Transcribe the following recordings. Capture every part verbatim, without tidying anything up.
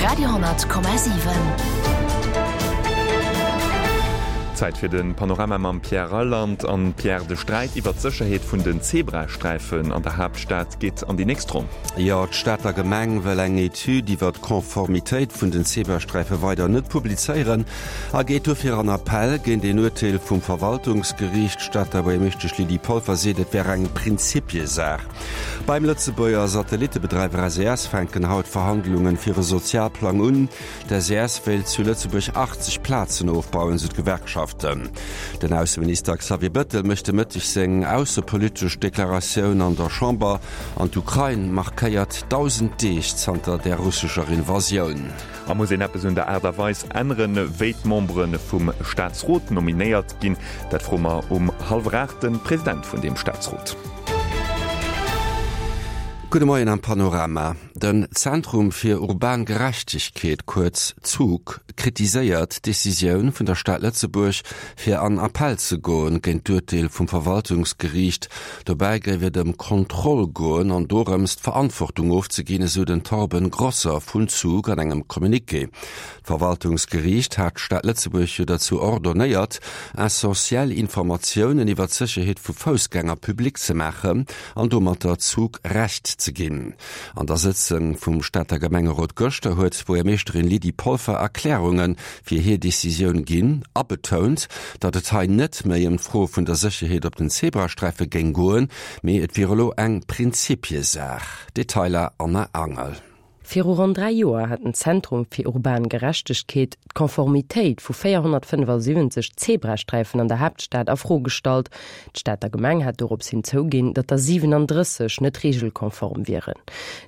Radio honnert Komma siwen. Zäit fir de Panorama mam Pierre Reyland. An Pierre, de Sträit iwwer d'Sécherheet vun den Zebrasträifen an der Haaptstad geet an déi nächst Ronn. Jo, d'Stater Gemeng wëll eng Etüd iwwer d'Konformitéit vun den Zebrasträife weider net publizéieren a geet dofir an Appell géint een Urteel vum Verwaltungsgeriicht. D'Stater Buergermeeschtesch Lydie Polfer seet, et wär eng Prinzipiesaach. Beim Lëtzebuerger Satellittebedreiwer S E S fänken haut Verhandlungen fir e Sozialplang un. D' S E S wéilt zu Lëtzebuerg achtzeg Plazen ofbauen, sou d'Gewerkschaften. Den Ausseminister Xavier Bettel mécht de Mëtteg seng aussepolitesch Deklaratioun an der Chamber an d'Ukrain markéiert dausend Deeg zanter der russescher Invasioun. A muss een eppes un der Aart a Weis änneren, wéi d'Membere vum Staatsrot nominéiert ginn? Dat froe mer um hallwer aacht de President vun deem Staatsrot. Gudde Moien am Panorama. Den Zentrum fir urban Gerechtegkeet, kuerz ZUG, kritiséiert d'Decisioun vun der Stad Lëtzebuerg, fir an Appell ze goen géint d'Urteel vum Verwaltungsgeriicht. Dobäi géif et ëm Kontroll goen an dorëms, d'Verantwortung ofzeginn, esou den Torben Grosser vun ZUG an engem Communiqué. D'Verwaltungsgeriicht hat d'Stad Lëtzebuerg jo derzou ordonnéiert, essentiell Informatiounen iwwer d'Sécherheet vu Foussgänger public ze maachen an domatter ZUG Recht ze ginn. An der Sëtzung vum Stater Gemengerot gëschter huet d'Buergermeeschterin Lydie Polfer Erklärunge fir hir Decisioun ginn a betount, datt et hei net méi ëm d'Fro vun der Sécherheet op den Zebrasträife géing goen, mee et wier elo eng Prinzipiesaach. Detailer Anna Angel. Viru ronn dräi Joer hat den Zentrum fir urban Gerechtegkeet d'Konformitéit vu véierhonnertfënnefasiwwenzeg Zebrasträifen an der Haaptstad a Fro gestallt. D'Stater Gemeng hat dorops hin zouginn, datt der siwenandrësseg net regelkonform wieren.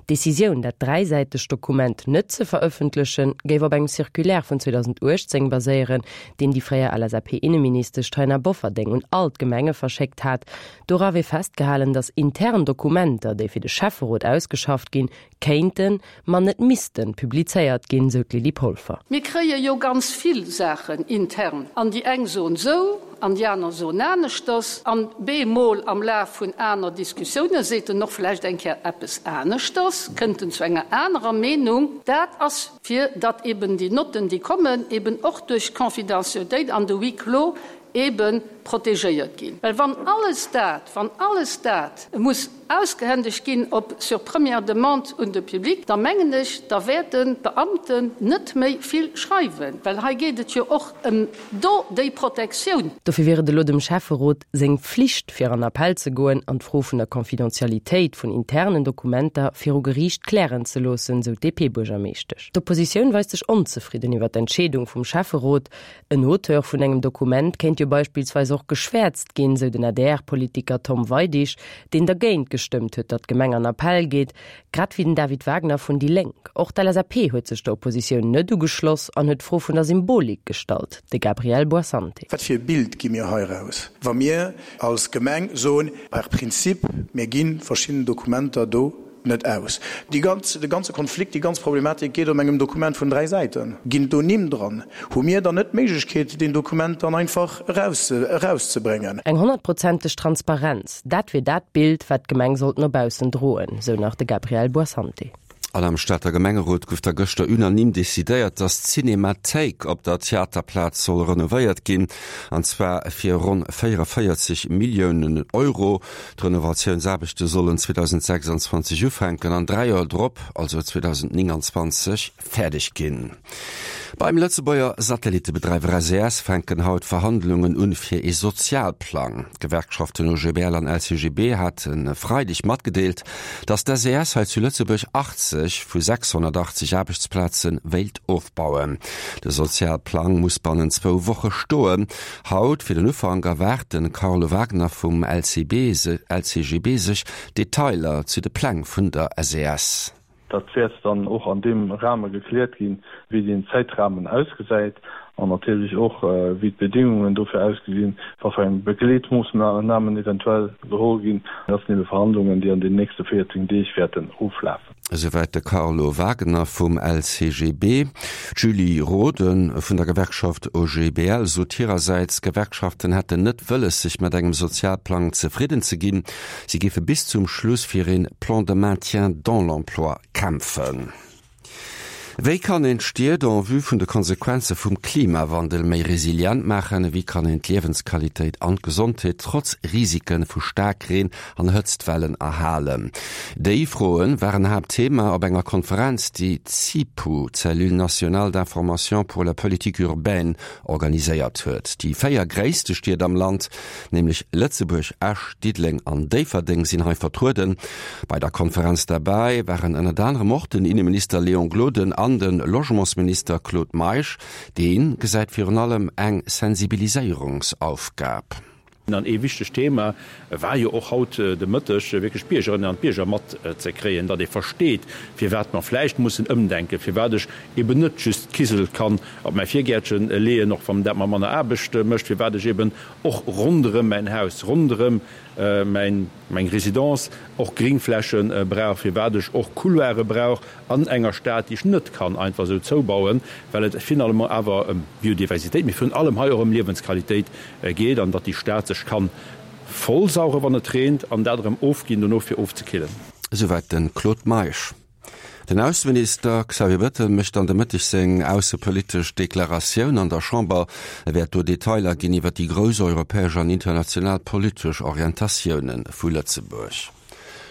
D'Decisioun, dat dräisäitegt Dokument net ze verëffentlechen, géif op engem Circulaire vun zweedausenduechtzéng baséieren, deen déi fréier L S A P-Inneministesch Taina Bofferding un all d'Gemenge verschéckt hat. Dora wier festgehalen, datt intern Dokumenter, déi fir de Schäfferot ausgeschafft ginn, kéinten, ma net missten publizéiert ginn, sou d'Lydie Polfer. Mir kréie jo ganz vill Saachen intern. An déi eng soen sou, an déi aner soen aneschters. An bemol am Laf vun aner Diskussioune seet en och vläicht eng Kéier eppes aneschters, kënnt en zu enger anerer Meenung. Dat ass fir, datt eben déi Notten, déi kommen, eben och duerch d'Confidentialitéit an de Huis clos eben protegéiert ginn. Well wann alles dat, wann alles dat muss ausgehändegt ginn op sur première demande un de Public, da mengen ech, da wäerten d'Beamten net méi vill schreiwen, well hei geet et jo och ëm do déi Protektioun. Dofir wier et elo dem Schäfferot seng Flicht, fir an Appell ze goen an d'Fro vun der Confidentialitéit vun internen Dokumenter viru Geriicht klären ze loossen, sou d'D P-Buergermeeschtesch. D'Oppositioun weist sech onzefridden iwwer d'Entscheedung vum Schäfferot. En Auteur vun engem Dokument kéint jo beispillsweis och geschwäerzt ginn, sou den A D R-Politiker Tom Weidig, deen dergéint gestëmmt huet, datt d'Gemeng an Appell geet, grad wéi den David Wagner vun déi Lénk. Och d'L S A P huet sech der Oppositioun net ugeschloss an huet d'Fro vun der Symbolik gestallt, de Gabriel Boissante. Wat fir e Bild gi mir hei raus? Wa mir als Gemeng soen, per Prinzip, mir ginn verschiedene Dokumenter do net aus. Die ganz, de ganze Konflikt, die ganz Problematik geht um engem Dokument vun dräi Säiten. Ginn do Nimm dran? Hu mir dann net d'Méiglechkeet, den Dokument dann einfach raus, rauszubringen? Eng honnertprozenteg Transparenz, dat wier dat Bild, wat d'Gemeng sollt no baussen droen, sou nach de Gabriel Boissante. An am Stater Gemengerot gouf da gëschter unanim decidéiert, datt d'Cinémathéik op der Theaterplaz soll renovéiert ginn, an zwar fir ronn véierundvéierzeg Milliounen Euro. D'Renovatiounsaarbechte sollen zweedausendsechsundzwanzeg ufänken an dräi Joer drop, also zweedausendneunundzwanzeg, fäerdeg ginn. Beim Lëtzebuerger Satellittebedreiwer S E S fänken haut Verhandlungen un fir e Sozialplang. D'Gewerkschaften O G B L an L C G B haten Freideg matgedeelt, datt d'S E S hei zu Lëtzebuerg achtzeg vu sechshunnertachtzeg Aarbechtsplaze wéilt ofbauen. De Sozialplang muss binnen zwou Woche stoen. Haut fir den Ufank erwaart den Carlo Wagner vum L C B, L C G B sech Detailer zu de Pläng vun der S E S. Dat wäert dann och an deem Rahmen gekläert ginn, wéi den Zeitrahmen ausgesäit an natierlech och, wéi d'Bedingungen dofir ausgesinn, was für eng Begleetmaßnahmen eventuell geholl ginn. Das sind eben Verhandlungen, déi an den nächsten vierzehn Deeg werden oflaufen. Soweit de Carlo Wagner vum L C G B. Julie Roden vun der Gewerkschaft O G B L sot hirerseits, Gewerkschaften hätten net wëlles, sech mat engem Sozialplang zefridden ze ginn. Sie géife bis zum Schluss fir een Plan de maintien dans l'emploi kämpfen. Wéi kann een d'Stied en vue vun de Konsequenze vum Klimawandel méi resilient maachen? Wéi kann een d'Liewensqualitéit an d'Gesondheet trotz Risike vu Staarkreen an Hëtztwellen erhalen? Déi Froe waren Haaptthema op enger Konferenz, déi d'CIPU, d'Cellule nationale d'information pour la politique urbaine, organiséiert huet. Déi véier gréisste Stied am Land, nämlech Lëtzebuerg, Esch, Diddeleng an Déifferdeng sinn hei vertrueden. Bei der Konferenz derbäi waren ënnert anerem och den Inneminister Léon Gloden an de Logementsminister Claude Meisch. Dee gesäit virun allem eng Sensibiliséierungsaufgab. An ee wichtegt Thema war jo och haut de Mëtteg, wierklech d'Biergerinnen an d'Bierger matzekréien, datt ee versteet, firwat mer vläicht mussen ëmdenken, firwat ech eben net just d'Kisel kann op mäi Virgäertche leeën, och wann dat mer manner Aarbecht mécht, firwat ech eben och ronderëm mäin Haus, ronderëm mäin, meng Résidence och Gringfläche brauch, firwat ech och Couloire brauch an enger Stad, déi ech net kann einfach esou zoubauen, well et finalement awer ëm Biodiversitéit, mee virun allem hei och ëm Liewensqualitéit geet an datt déi Stad sech kann vollsaugen, wann et reent, an dat erëm ofginn dono fir ofzekillen. Esouwäit de Claude Meisch. Den Ausseminister Xavier Bettel mécht an de Mëtteg seng aussepolitesch Deklaratioun an der Chamber. E wäert do Detailer ginn iwwer déi grouss europäesch an international politesch Orientatioune vu Lëtzebuerg.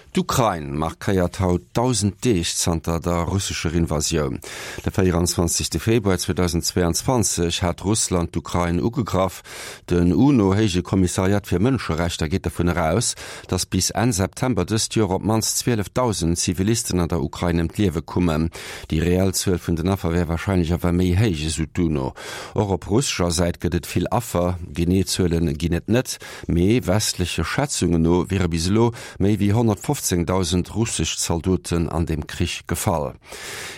D'Ukrain markéiert haut dausend Deeg zanter der russescher Invasioun. De véieranzwanzegste Februar zweedausendzweeanzwanzeg hat Russland d'Ukrain ugegraff. Den UNO-Héije Kommissariat fir Mënscherechter geet dovun eraus, datt bis Enn September dëst Joer op d'mannst zwielefdausend Zivilisten an der Ukrain ëm d'Liewe kummen. Déi reell Zuel vun den Affer wär warscheinlech awer méi héich, esou d'UNO. Och op russescher Säit gëtt et vill Affer, genee Zuele ginn et net, mee westleche Schätzungen no wiere bis elo méi wéi honnertfofzéngdausend russesch Zaldoten an dem Krich gefall.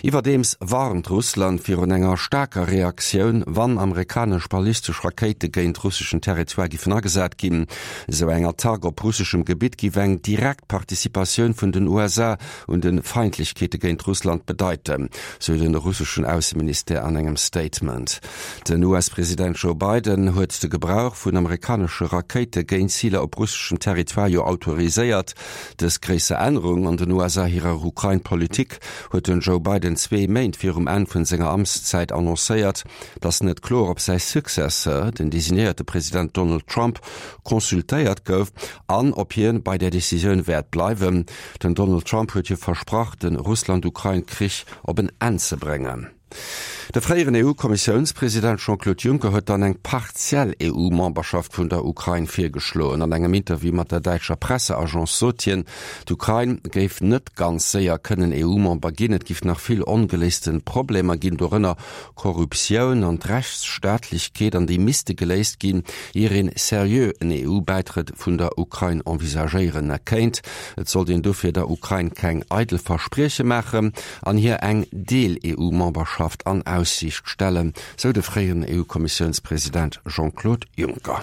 Iwwerdeems warnt Russland virun enger staarker Reaktioun, wann amerikanesch ballistesch Rakéite géint russeschen Territoire giffen agesat ginn. Esou eng Attack op russeschem Gebitt giff eng direkt Participatioun vun den U S A un de Feindlechkeete géint Russland bedeiten, sou de russeschen Ausseministère an engem Statement. Den U S-President Joe Biden huet de Gebrauch vun amerikanesche Rakéite géint Ziler op russeschem Territoire jo autoriséiert. Dës gréisser Ännerung an den U S A hirer Ukrain-Politik huet den Joe Biden zwee Méint virum Enn vun senger Amtszäit annoncéiert. Et ass net kloer, ob säi Successeur, den designéierte President Donald Trump, consultéiert gouf an ob hien bei där Decisioun wäert bleiwen. Den Donald Trump huet jo versprach, de Russland-Ukrain-Krich op en Enn ze bréngen. De fréieren E U-Kommissiounspresident Jean-Claude Juncker huet dann eng partiell E U-Memberschaft vun der Ukrain virgeschloen. An engem Interview mat der däitscher Presseagence sot hien, d'Ukrain géif net ganz séier kënnen E U-Member ginn, et giff nach vill ongeléiste Problemer ginn, dorënner Korruptioun an d'Rechtsstaatlechkeet, an déi misste geléist ginn, ier een seriö en E U-Bäitrëtt vun der Ukrain envisagéieren kéint. Et sollt een dofir der Ukrain keng eidel Versprieche maachen an hir eng Deel-E U-Memberschaft an Aussiicht stellen, sou de fréieren E U-Kommissiounspresident Jean-Claude Juncker.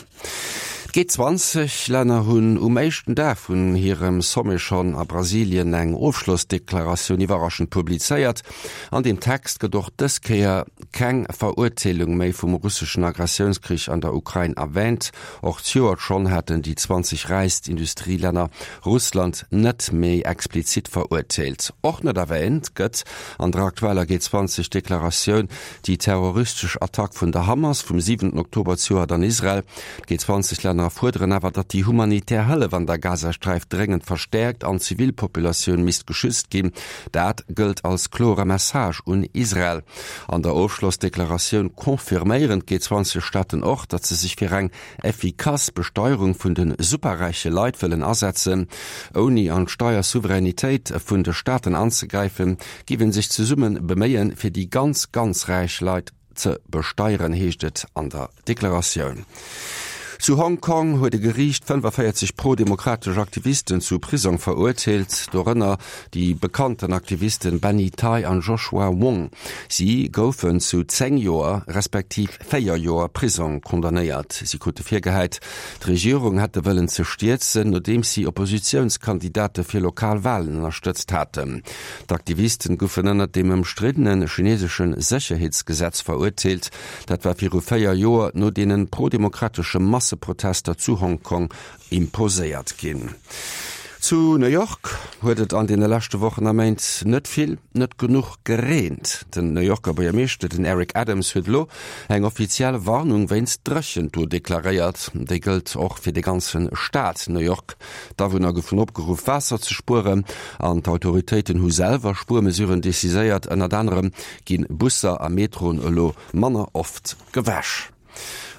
D'G zwanzeg Länner hunn um éischten Dag vun hirem Sommet schonn a Brasilien eng Ofschlossdeklaratioun iwwerraschend publizéiert. An deem Text gëtt och dës Kéier keng Verurteelung méi vum russeschen Agressiounskrich an der Ukrain erwäänt. Och d'Joert schonn haten déi zwanzeg räichst Industrielänner Russland net méi explizit verurteelt. Och net erwäänt gëtt an der aktueller G zwanzeg Deklaratioun déi terroristesch Attack vun der Hamas vum siwenten Oktober zejoert an Israel. D'G zwanzeg Länner fuerderen awer, datt déi humanitär Hëllef an der Gazasträif dréngend verstäerkt an d'Zivilpopulatioun misst geschützt ginn. Dat gëllt als klore Message un Israel. An der Ofschlossdeklaratioun confirméieren d'G zwanzeg Staaten och, datt se sech fir eng effikass Besteierung vun de superräiche Leit wëllen asetzen. Ouni an d'Steiersouveränitéit vun de Staaten anzegräifen, géif ee sech zesumme beméien, fir déi ganz, ganz räich Leit ze besteieren, heescht et an der Deklaratioun. Zu Hong Kong huet e Geriicht fënnefaféierzeg pro-demokratesch Aktivisten zu Prisong verurteelt, dorënner déi bekannten Aktivisten Benny Tai an Joshua Wong. Si goufen zu zéng Joer respektiv véier Joer Prisong condamnéiert. Si krute virgehäit, d'Regierung hätte wëllen ze stierzen, nodeems si Oppositiounskandidate fir lokal Walen ënnerstëtzt haten. D'Aktivisten goufen ënnert dem ëmstriddene chinesesche Sécherheetsgesetz verurteelt. Dat war viru véier Joer no deene pro-demokratesche Masseprotester zu Hong Kong imposéiert ginn. Zu New York huet et an deene leschte Wochen a Méint net vill, net genuch gereent. Den New Yorker Buergermeeschter, den Eric Adams, huet elo eng offiziell Warnung wéinst Dréchent do deklaréiert. Déi gëllt och fir de ganze Staat New York. D'Awunner goufen opgeruff, Waasser ze spueren an d'Autoritéiten hu selwer Spuermesuren decidéiert. Ënnert anerem gi Busser a Metroen elo manner oft gewäsch.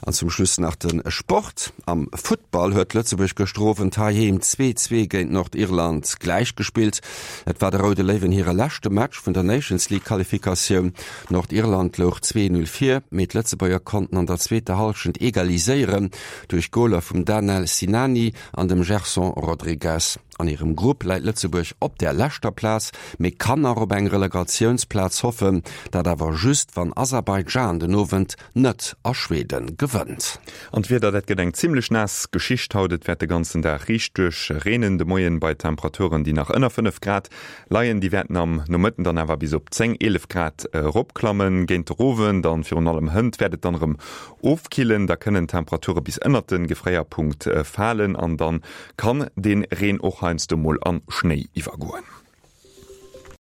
An zum Schluss nach de Sport. Am Futtball huet Lëtzebuerg gëschter Owend heiheem zwee, zwee géint Nordirland gläichgespillt. Et war de Roude Léiwen hire leschte Match vun der Nations League Qualifikatioun. Nordirland louch zwee, null vir, mee d'Lëtzebuerger konnten an der zweeter Hallschent egaliséieren duerch Goler vum Danel Sinani an dem Gerson Rodrigues. An hirem Grupp läit Lëtzebuerg op der leschter Plaz, mee kann nach op eng Relegatiounsplaz hoffen, dat awer just wann Aserbaidschan den Owend net a Schweden gewënnt. An d'Wieder, dat gëtt eng zimmlech naass Geschicht haut. Et wäert de ganzen Dag riicht duerch reenen, de Moien bei Temperaturen, déi nach ënner fënnef Grad leien. Déi wäerten am Nomëtten dann awer bis op zéng, eelef Grad eropklammen. Géint de Owend an virun allem hënt wäert et dann erëm ofkillen, da kënnen d'Temperature bis ënnert de Gefréierpunkt falen an dann kann dee Reen och heiansdo mol an Schnéi iwwergoen.